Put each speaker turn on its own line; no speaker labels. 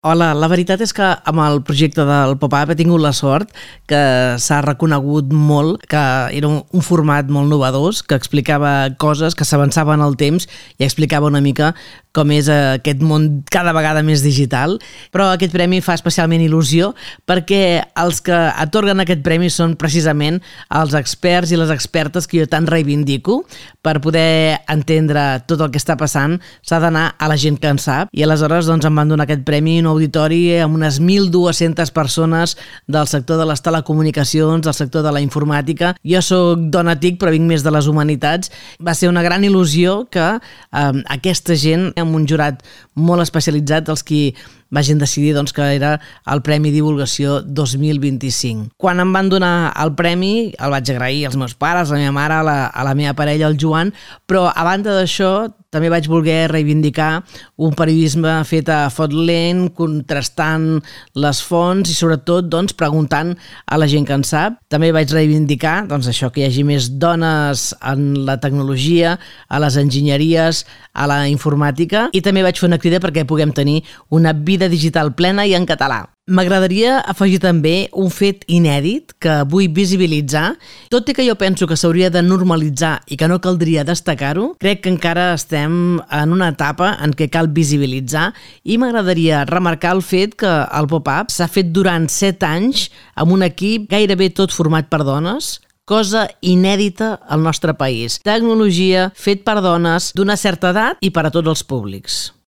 Hola, la veritat és que amb el projecte del pop-up he tingut la sort que s'ha reconegut molt que era un format molt novedós, que explicava coses, que s'avançava en el temps i explicava una mica com és aquest món cada vegada més digital. Però aquest premi fa especialment il·lusió perquè els que atorguen aquest premi són precisament els experts i les expertes que jo tant reivindico. Per poder entendre tot el que està passant s'ha d'anar a la gent que en sap i aleshores doncs, em van donar aquest premi un auditori amb unes 1.200 persones del sector de les telecomunicacions, del sector de la informàtica. Jo soc dona TIC, però vinc més de les humanitats. Va ser una gran il·lusió que aquesta gent, amb un jurat molt especialitzat, els qui vagin decidir doncs, que era el Premi Divulgació 2025. Quan em van donar el premi, el vaig agrair als meus pares, a la meva mare, a la meva parella, el Joan, però a banda d'això també vaig voler reivindicar un periodisme fet a fot lent, contrastant les fonts i sobretot doncs, preguntant a la gent que en sap. També vaig reivindicar doncs, això que hi hagi més dones en la tecnologia, a les enginyeries, a la informàtica i també vaig fer una crida perquè puguem tenir una vida digital plena i en català. M'agradaria afegir també un fet inèdit que vull visibilitzar. Tot i que jo penso que s'hauria de normalitzar i que no caldria destacar-ho, crec que encara estem en una etapa en què cal visibilitzar i m'agradaria remarcar el fet que el pop-up s'ha fet durant 7 anys amb un equip gairebé tot format per dones, cosa inèdita al nostre país. Tecnologia fet per dones d'una certa edat i per a tots els públics.